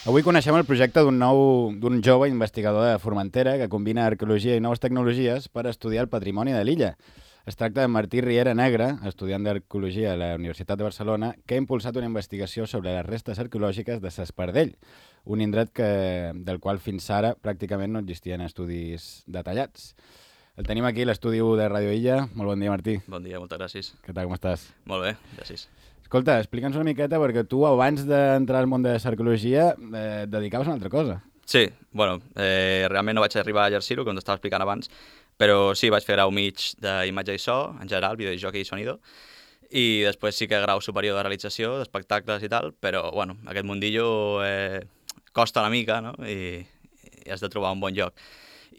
Avui coneixem el projecte d'un jove investigador de Formentera que combina arqueologia i noves tecnologies per estudiar el patrimoni de l'illa. Es tracta de Martí Riera Negre, estudiant d'arqueologia a la Universitat de Barcelona, que ha impulsat una investigació sobre les restes arqueològiques de S'Espardell, un indret del qual fins ara pràcticament no existien estudis detallats. El tenim aquí a l'estudi de Radio Illa. Molt bon dia, Martí. Bon dia, moltes gràcies. Què tal, com estàs? Molt bé, gràcies. Escolta, explica'ns una miqueta, perquè tu abans d'entrar al món de l'arqueologia et dedicaves a una altra cosa. Sí, bueno, realment no vaig arribar a exercir-ho, com t'estava explicant abans, però sí, vaig fer grau mig d'imatge i so, en general, videojoc i sonido, i després sí que grau superior de realització, d'espectacles i tal, però, bueno, aquest mundillo costa una mica, no?, i has de trobar un bon lloc.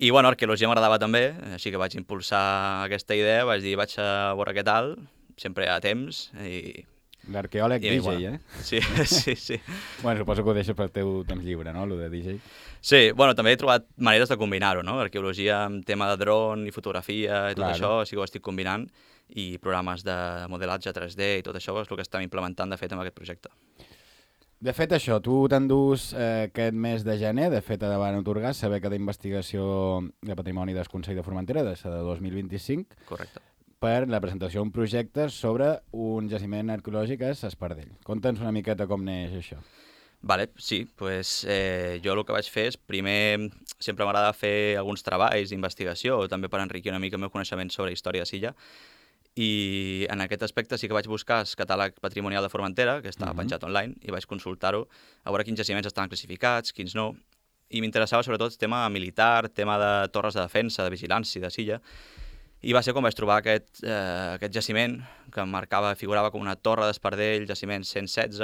I, bueno, arqueologia m'agradava també, així que vaig impulsar aquesta idea, vaig dir, vaig a veure què tal, sempre hi ha temps, i... L'arqueòleg DJ, bueno, Sí, sí, sí. Bueno, suposo que ho deixes pel teu temps lliure, no?, lo de DJ. Sí, bueno, també he trobat maneres de combinar-ho, no? Arqueologia amb tema de dron i fotografia i tot això, sí que ho estic combinant, i programes de modelatge 3D i tot això és el que estem implementant, de fet, amb aquest projecte. De fet, això, tu t'endús aquest mes de gener, de fet, davant atorgar saber que d'investigació de patrimoni del Consell de Formentera, de 2025, Correcte. per la presentació d'un projecte sobre un jaciment arqueològic a S'Espardell. Conta'ns una miqueta com neix això. Vale, sí, pues, jo el que vaig fer és, primer, sempre m'agrada fer alguns treballs d'investigació, també per enriquir una mica el meu coneixement sobre història de Silla, i en aquest aspecte sí que vaig buscar el catàleg patrimonial de Formentera, que estava penjat online, i vaig consultar-ho, a veure quins jaciments estaven classificats, quins no, i m'interessava sobretot el tema militar, tema de torres de defensa, de vigilància de Silla, i va ser quan vaig trobar aquest jaciment que figurava com una torre d'Espardell, jaciment 116,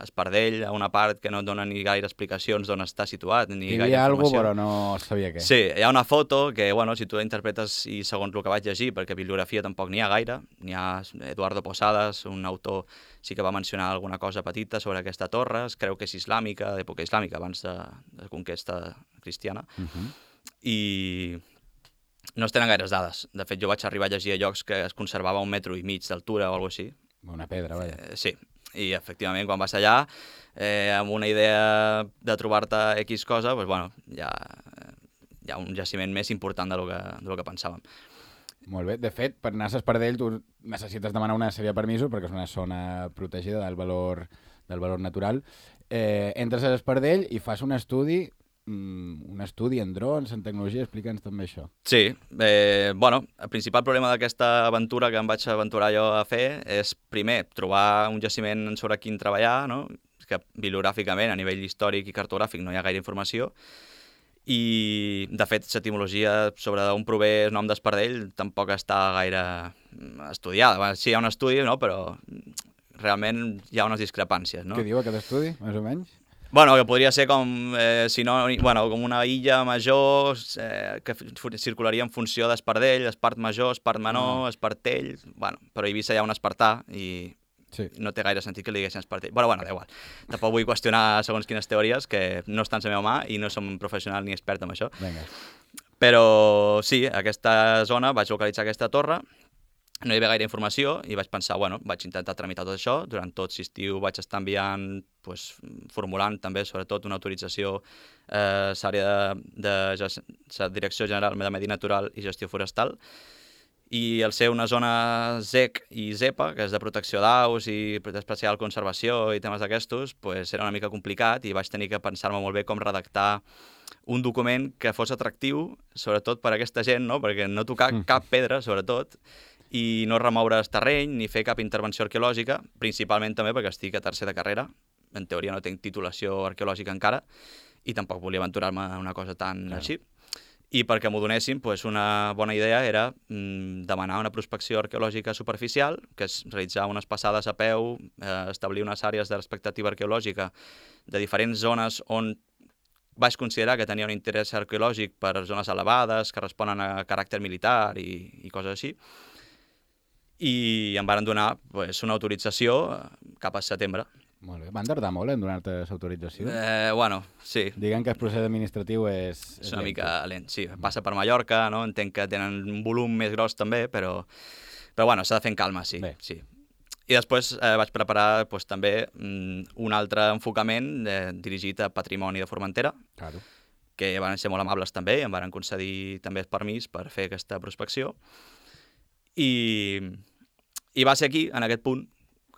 Espardell, a una part que no et dona ni gaire explicacions d'on està situat, ni gaire informació. Hi havia alguna cosa, però no sabia què. Sí, hi ha una foto que, bueno, si tu la interpretes i segons el que vaig llegir, perquè bibliografia tampoc n'hi ha gaire, n'hi ha Eduardo Posadas, un autor, sí que va mencionar alguna cosa petita sobre aquesta torre, es creu que és islàmica, d'època islàmica, abans de conquesta cristiana, i no es tenen gaires dades. De fet, jo vaig arribar a llegir a llocs que es conservava 1,5 metres d'altura o alguna cosa així. Una pedra, vaja. Sí, i efectivament, quan vas allà, amb una idea de trobar-te X cosa, doncs, bueno, hi ha un jaciment més important del que pensàvem. Molt bé. De fet, per anar a S'Espardell tu necessites demanar una sèrie de permisos perquè és una zona protegida del valor natural. Entres a S'Espardell i fas un estudi en drons, en tecnologia, explica'ns també això. Sí, bueno, el principal problema d'aquesta aventura que em vaig aventurar jo a fer és, primer, trobar un jaciment sobre quin treballar, no?, que bibliogràficament, a nivell històric i cartogràfic, no hi ha gaire informació, i, de fet, l'etimologia sobre on prové el nom d'Espardell tampoc està gaire estudiada. Sí, hi ha un estudi, no?, però realment hi ha unes discrepàncies, no? Què diu aquest estudi, més o menys? Bueno, que podria ser com, com una illa major que circularia en funció d'Espardell, Espart major, Espart menor, Espartell... Bueno, però a Eivissa hi ha un espartà i no té gaire sentit que li diguessin Espartell. Però bueno, da igual. Tampoc vull qüestionar segons quines teories, que no estan a la meva mà i no som professional ni expert en això. Vinga. Però sí, a aquesta zona vaig localitzar aquesta torre, no hi havia gaire informació i vaig pensar, bueno, vaig intentar tramitar tot això. Durant tot l'estiu vaig estar enviant, formulant també, sobretot, una autorització a l'àrea de la Direcció General de Medi Natural i Gestió Forestal. I al ser una zona ZEC i ZEPA, que és de protecció d'aus i d'especial conservació i temes d'aquestos, era una mica complicat i vaig tenir que pensar-me molt bé com redactar un document que fos atractiu, sobretot per a aquesta gent, no?, perquè no tocar cap pedra, sobretot, i no remoure el terreny ni fer cap intervenció arqueològica, principalment també perquè estic a tercer de carrera, en teoria no tinc titulació arqueològica encara, i tampoc volia aventurar-me en una cosa tan així. I perquè m'ho donessin, una bona idea era demanar una prospecció arqueològica superficial, que és realitzar unes passades a peu, establir unes àrees de l'expectativa arqueològica de diferents zones on vaig considerar que tenia un interès arqueològic per zones elevades, que responen a caràcter militar i coses així, i em van donar una autorització cap a setembre. Molt bé. Van tardar molt en donar-te l'autorització? Bueno, sí. Diguem que el procés administratiu és una mica lent, sí. Passa per Mallorca, no? Entenc que tenen un volum més gros també, però bueno, s'ha de fer en calma, sí. Bé. Sí. I després vaig preparar doncs, també un altre enfocament dirigit a patrimoni de Formentera, Claro. que van ser molt amables també, i em van concedir també el permís per fer aquesta prospecció. I va ser aquí, en aquest punt,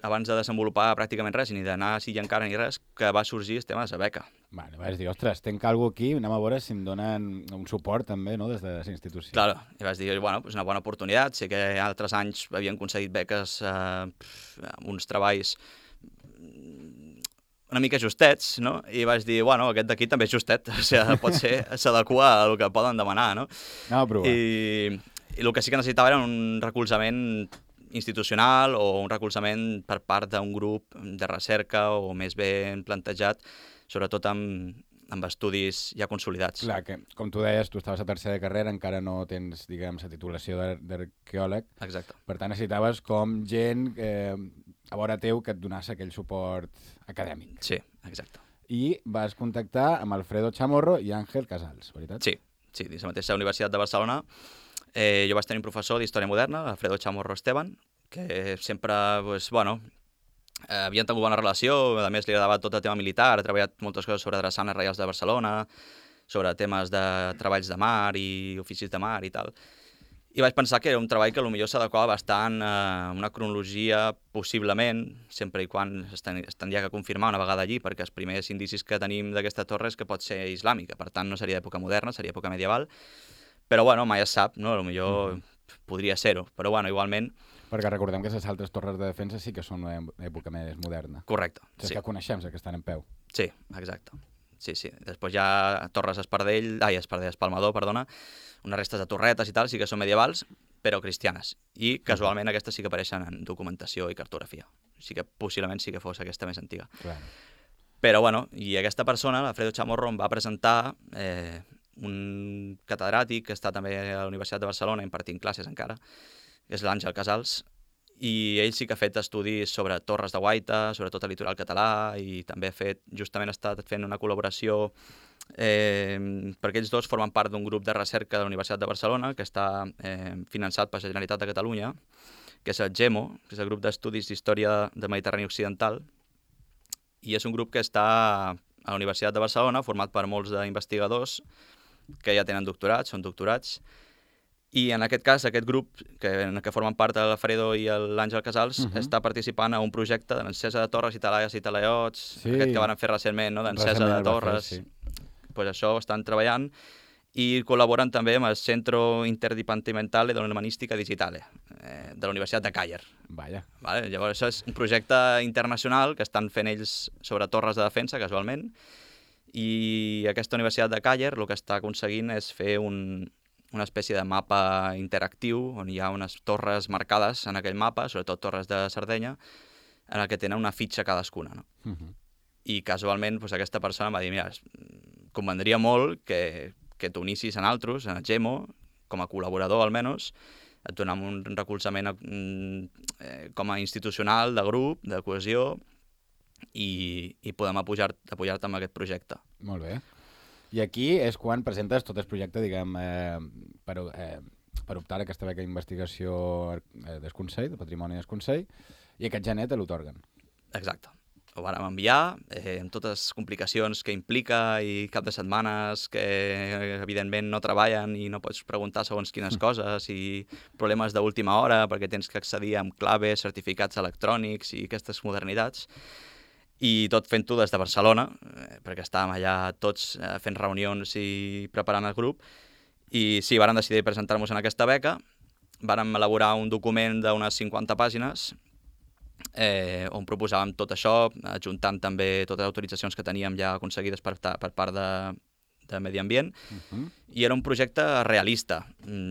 abans de desenvolupar pràcticament res, ni d'anar així encara ni res, que va sorgir el tema de la beca. Vale, vas dir, ostres, tenc alguna cosa aquí, anem a veure si em donen un suport també, no?, des de la institució. Claro, i vaig dir, bueno, és una bona oportunitat. Sé que altres anys havien concedit beques a uns treballs una mica justets, no? I vaig dir, bueno, aquest d'aquí també és justet, o sigui, pot ser, s'adequa al que poden demanar, no? Anem a provar. I el que sí que necessitava era un recolzament institucional o un recolzament per part d'un grup de recerca o més ben plantejat, sobretot amb estudis ja consolidats. Clar, que com tu deies, tu estaves a tercera de carrera, encara no tens, diguem, la titulació d'arqueòleg. Exacte. Per tant, necessitaves com gent a vora teu que et donàs aquell suport acadèmic. Sí, exacte. I vas contactar amb Alfredo Chamorro i Àngel Casals, veritat? Sí, dins la mateixa Universitat de Barcelona. Jo vaig tenir un professor d'Història Moderna, Alfredo Chamorro Esteban, que sempre, pues, bueno, havien tingut bona relació, a més li agradava tot el tema militar, ha treballat moltes coses sobre drassanes reials de Barcelona, sobre temes de treballs de mar i oficis de mar i tal. I vaig pensar que era un treball que potser s'adequava bastant a una cronologia, possiblement, sempre i quan es tindria que confirmar una vegada allí, perquè els primers indicis que tenim d'aquesta torre és que pot ser islàmica, per tant no seria època moderna, seria època medieval, però bueno, mai es sap, no? Potser podria ser-ho, però bueno, igualment... Perquè recordem que les altres torres de defensa sí que són una època més moderna. Correcte, Les sí. que coneixem, les que estan en peu. Sí, exacte. Sí. Després hi ha Torres Espalmador, perdona, unes restes de torretes i tal, sí que són medievals, però cristianes. I casualment aquestes sí que apareixen en documentació i cartografia. Sí que possiblement sí que fos aquesta més antiga. Clar. Però bueno, i aquesta persona, l'Alfredo Chamorro, em va presentar un catedràtic que està també a la Universitat de Barcelona impartint classes encara, que és l'Àngel Casals, i ell sí que ha fet estudis sobre torres de guaita, sobretot el litoral català, i també justament ha estat fent una col·laboració perquè ells dos formen part d'un grup de recerca de la Universitat de Barcelona que està finançat per la Generalitat de Catalunya, que és el GEMO, que és el grup d'estudis d'història del Mediterrani Occidental, i és un grup que està a la Universitat de Barcelona, format per molts d'investigadors que ja tenen doctorats, són doctorats, i en aquest cas, aquest grup, en què formen part l'Alfredo i l'Àngel Casals, està participant a un projecte de l'encesa de torres i talaies i talaiots, aquest que van fer recentment, no? D'encesa de torres. Pues això estan treballant i col·laboren també amb el Centro Interdepartamental de Humanística Digital de la Universitat de Càller. Vaja. Vale? Llavors, això és un projecte internacional que estan fent ells sobre torres de defensa, casualment, i aquesta Universitat de Càller el que està aconseguint és fer una espècie de mapa interactiu on hi ha unes torres marcades en aquell mapa, sobretot torres de Sardenya, en el que tenen una fitxa cadascuna. No? I casualment aquesta persona em va dir, mira, convendria molt que t'unissis en altres, en el GEMO, com a col·laborador almenys, et donem un recolzament com a institucional, de grup, de cohesió, i podem apoyar-te amb aquest projecte. Molt bé. I aquí és quan presentes tot el projecte, diguem, per optar a aquesta beca d'investigació del Consell, de Patrimoni del Consell, i aquest gener te l'otorguen. Exacte. Ho vàrem enviar, amb totes les complicacions que implica i cap de setmanes que evidentment no treballen i no pots preguntar segons quines coses i problemes d'última hora perquè tens que accedir amb claves, certificats electrònics i aquestes modernitats. I tot fent-ho des de Barcelona, perquè estàvem allà tots fent reunions i preparant el grup. I sí, vàrem decidir presentar-nos en aquesta beca, vàrem elaborar un document d'unes 50 pàgines on proposàvem tot això, adjuntant també totes les autoritzacions que teníem ja aconseguides per part de Medi Ambient, i era un projecte realista,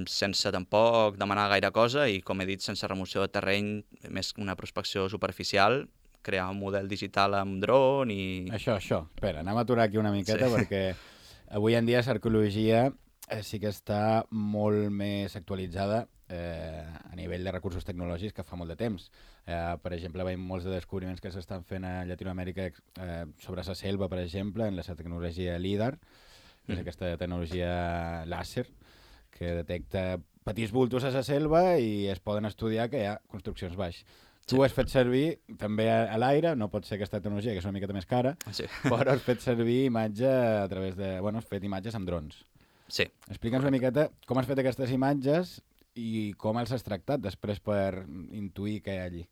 sense tampoc demanar gaire cosa i, com he dit, sense remoció de terreny, més una prospecció superficial, crear un model digital amb dron i... Això. Espera, anem a aturar aquí una miqueta perquè avui en dia l'arqueologia sí que està molt més actualitzada a nivell de recursos tecnològics que fa molt de temps. Per exemple, veiem molts de descobriments que s'estan fent a Llatinoamèrica sobre la selva, per exemple, en la tecnologia LIDAR, que és aquesta tecnologia làser que detecta petits bultos a la selva i es poden estudiar que hi ha construccions baix. Tu has fet servir també a l'aire, no pot ser aquesta tecnologia, que és una miqueta més cara, Sí. però has fet servir imatge a través de... Bueno, has fet imatges amb drons. Sí. Explica'ns una miqueta com has fet aquestes imatges i com els has tractat després per intuir què hi ha allí.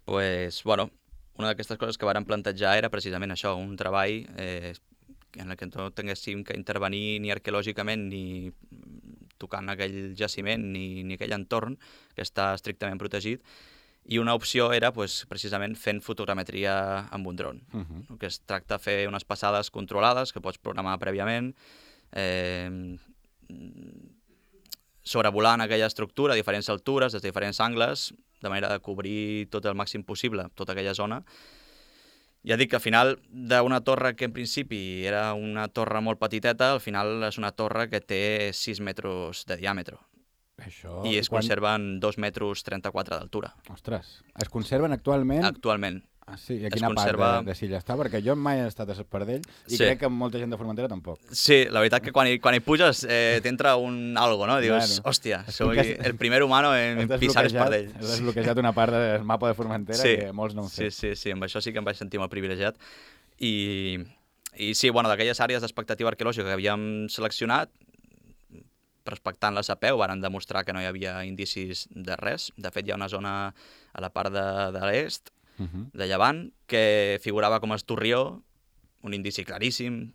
Pues, bueno, una d'aquestes coses que vàrem plantejar era precisament això, un treball en el que no tinguéssim que intervenir ni arqueològicament ni tocant aquell jaciment ni aquell entorn que està estrictament protegit, i una opció era pues, precisament fent fotogrametria amb un dron. Que es tracta de fer unes passades controlades que pots programar prèviament, sobrevolant aquella estructura a diferents altures, des de diferents angles, de manera de cobrir tot el màxim possible tota aquella zona. Ja dic que al final d'una torre que en principi era una torre molt petiteta, al final és una torre que té 6 metres de diàmetre. Això... I es conserven 2 metres 34 d'altura. Ostres, es conserven actualment? Actualment. Ah, sí? I a quina part de Silla està? Perquè jo mai he estat a Espardell i crec que molta gent de Formentera tampoc. Sí, la veritat que quan hi puges t'entra un algo, no? Dius, hòstia, soy el primer humano en pisar Espardell. Has desbloquejat una part del mapa de Formentera que molts no han fet. Sí, amb això sí que em vaig sentir molt privilegiat. I sí, bueno, d'aquelles àrees d'expectativa arqueològica que havíem seleccionat, respectant-les a peu, varen demostrar que no hi havia indicis de res. De fet, hi ha una zona a la part de l'est, de Llevant, que figurava com a Estorrió, un indici claríssim,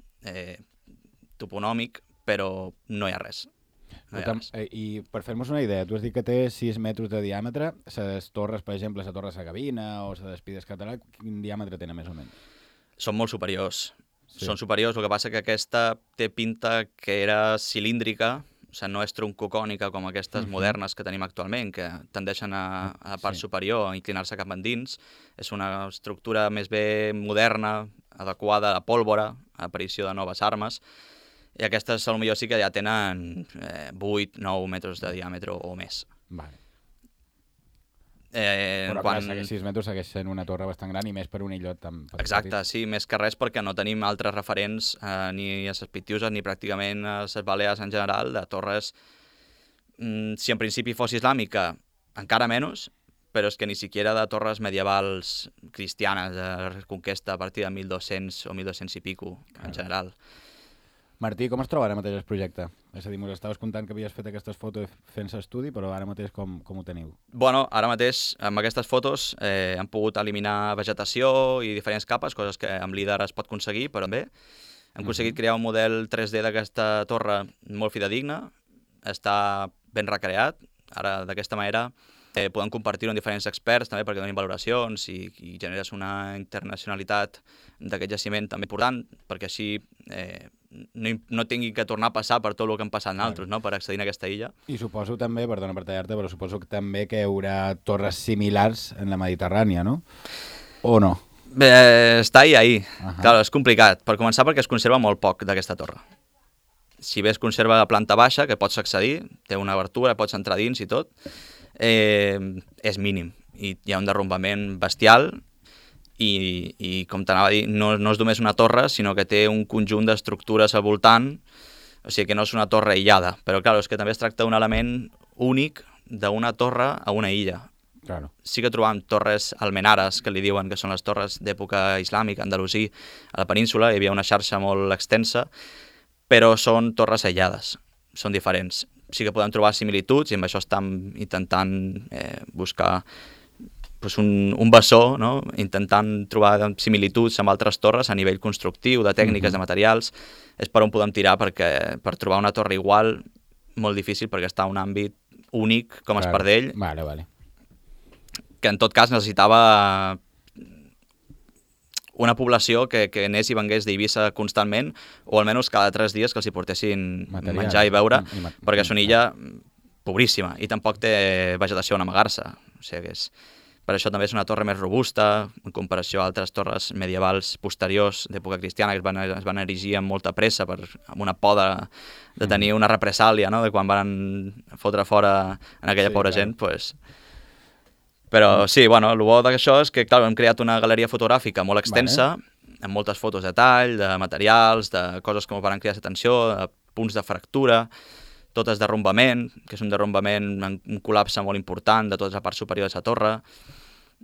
toponòmic, però no hi ha res. I per fer-nos una idea, tu has dit que té 6 metres de diàmetre, les torres, per exemple, la Torre Sagavina o la d'Espides Català, quin diàmetre tenen més o menys? Són molt superiors. Són superiors, el que passa que aquesta té pinta que era cilíndrica, o sigui, no és troncocònica com aquestes modernes que tenim actualment, que tendeixen a la part superior a inclinar-se cap endins. És una estructura més bé moderna, adequada a la pólvora, a l'aparició de noves armes, i aquestes potser sí que ja tenen 8-9 metres de diàmetre o més. Vale. Però quan... 6 metres segueix sent una torre bastant gran i més per un illot tan petit. Exacte, sí, més que res perquè no tenim altres referents ni a les Pitiuses ni pràcticament a les Balears en general de torres. Si en principi fos islàmica, encara menys, però és que ni siquiera de torres medievals cristianes de reconquesta a partir de 1200 o 1200 i pico en general. Martí, com es troba ara mateix el projecte? És a dir, ens estaves contant que havies fet aquestes fotos fent estudi, però ara mateix com ho teniu? Bueno, ara mateix amb aquestes fotos hem pogut eliminar vegetació i diferents capes, coses que amb líder es pot aconseguir, però bé. Hem aconseguit crear un model 3D d'aquesta torre molt fidedigne, està ben recreat, ara d'aquesta manera podem compartir-ho amb diferents experts també perquè donin valoracions i generes una internacionalitat d'aquest jaciment també important, perquè així no tingui que tornar a passar per tot el que han passat nosaltres, no?, per accedir a aquesta illa. I suposo també, perdona per tallar-te, però suposo que també que hi haurà torres similars en la Mediterrània, no? O no? Està ahí. Claro, és complicat. Per començar, perquè es conserva molt poc d'aquesta torre. Si bé es conserva a planta baixa, que pots accedir, té una obertura, pots entrar dins i tot, és mínim. I hi ha un derrumbament bestial i com t'anava a dir, no és només una torre, sinó que té un conjunt d'estructures al voltant, o sigui que no és una torre aïllada. Però, clar, és que també es tracta d'un element únic d'una torre a una illa. Claro. Sí que trobam torres almenares, que li diuen que són les torres d'època islàmica, andalusí, a la península, hi havia una xarxa molt extensa, però són torres aïllades, són diferents. Sí que podem trobar similituds i amb això estem intentant buscar un bessó, no?, intentant trobar similituds amb altres torres a nivell constructiu, de tècniques, de materials. És per on podem tirar, perquè per trobar una torre igual, molt difícil, perquè està en un àmbit únic com Espardell, vale. que en tot cas necessitava una població que anés i vengués d'Eivissa constantment, o almenys cada 3 dies que els hi portessin menjar i beure, perquè és una illa pobríssima i tampoc té vegetació on amagar-se. O sigui que per això també és una torre més robusta en comparació a altres torres medievals posteriors d'època cristiana que es van erigir amb molta pressa amb una por de tenir una represàlia, no?, de quan van fotre fora en aquella pobra gent, pues... Però sí, bueno, el bo d'això és que, clar, hem creat una galeria fotogràfica molt extensa, amb moltes fotos de tall, de materials, de coses que ens van cridar l'atenció, de punts de fractura, totes derrumbament, que és un derrumbament, un col·lapse molt important de tota la part superior de la torre.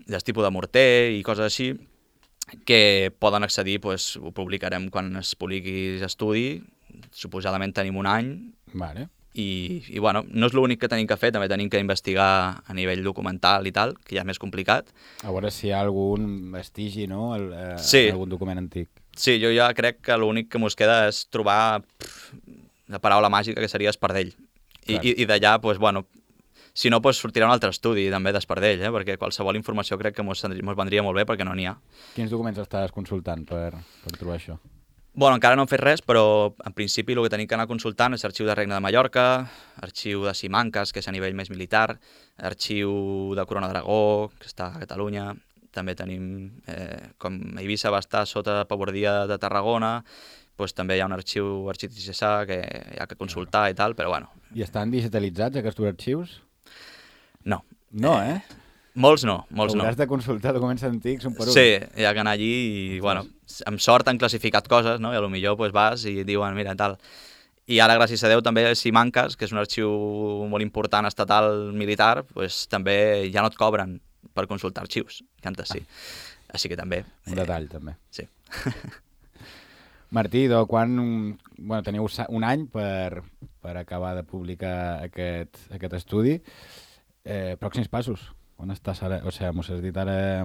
del tipus de morter i coses així, que poden accedir, doncs, ho publicarem quan es publiqui l'estudi, suposadament tenim un any, Vale. i bueno, no és l'únic que tenim que fer, també tenim que investigar a nivell documental i tal, que ja és més complicat. A veure si hi ha algun vestigi, no? Sí. Algun document antic. Sí, jo ja crec que l'únic que mos queda és trobar la paraula màgica que seria espardell. I d'allà, doncs, bueno, si no, doncs sortirà un altre estudi també d'espardell, perquè qualsevol informació crec que mos vendria molt bé perquè no n'hi ha. Quins documents estàs consultant per trobar això? Bueno, encara no hem fet res, però en principi el que tenim que anar consultant és arxiu de Regne de Mallorca, arxiu de Simancas, que és a nivell més militar, arxiu de Corona d'Aragó, que està a Catalunya, també tenim, com Eivissa va estar sota pavordia de Tarragona, doncs també hi ha un arxiu diocesà que hi ha que consultar i tal, però bueno. I estan digitalitzats aquests arxius? No. No, Molts no, molts no. Hauràs de consultar documents antics un per un. Sí, hi ha que anar allí i, bueno, amb sort han classificat coses, no? I potser pues, vas i et diuen, mira, tal. I ara, gràcies a Déu, també Simancas, que és un arxiu molt important estatal militar, pues, també ja no et cobren per consultar arxius, que antes sí. Així que també... Un detall, també. Sí. Martí, bueno, teniu un any per acabar de publicar aquest estudi. Pròxims passos? On estàs ara? O sigui, m'ho has dit ara...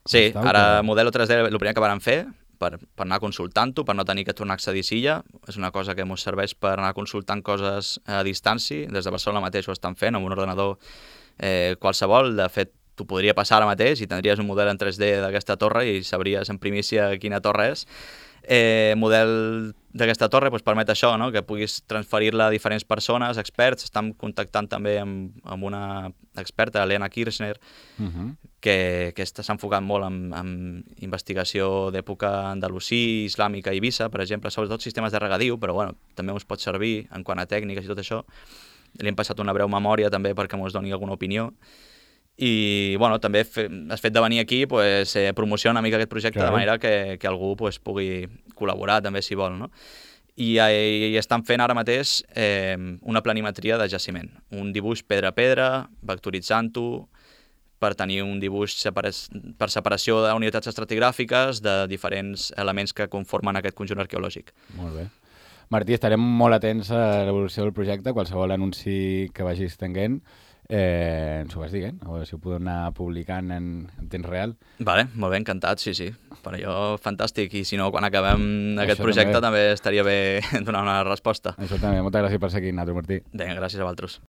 Sí, ara Modelo 3D el primer que vam fer, per anar consultant-ho, per no tenir que tornar a accedir a Silla. És una cosa que ens serveix per anar consultant coses a distància. Des de Barcelona mateix ho estan fent, amb un ordenador qualsevol. De fet, t'ho podria passar ara mateix i tindries un model en 3D d'aquesta torre i sabries en primícia quina torre és. Model d'aquesta torre doncs, permet això, no? Que puguis transferir-la a diferents persones, experts. Estem contactant també amb una experta, Elena Kirchner, que s'ha enfocat molt en investigació d'època andalusí, islàmica i Eivissa, per exemple, sobretot sistemes de regadiu, però bueno, també us pot servir en quant a tècniques i tot això. Li hem passat una breu memòria també perquè ens doni alguna opinió. I bueno, també el fet de venir aquí pues, promociona una mica aquest projecte, de manera que algú pues, pugui col·laborar també si vol, no? I estan fent ara mateix una planimetria de jaciment, un dibuix pedra a pedra, vectoritzant-ho, per tenir un dibuix per separació d'unitats estratigràfiques de diferents elements que conformen aquest conjunt arqueològic. Molt bé. Martí, estarem molt atents a l'evolució del projecte, qualsevol anunci que vagis tenint, ens ho vas dient, a veure si ho podem anar publicant en temps real. Vale, molt bé, encantat, sí. Per allò, fantàstic. I si no, quan acabem aquest projecte també estaria bé donar una resposta. Això també. Moltes gràcies per ser aquí, Nato, Martí. Vinga, gràcies a vosaltres.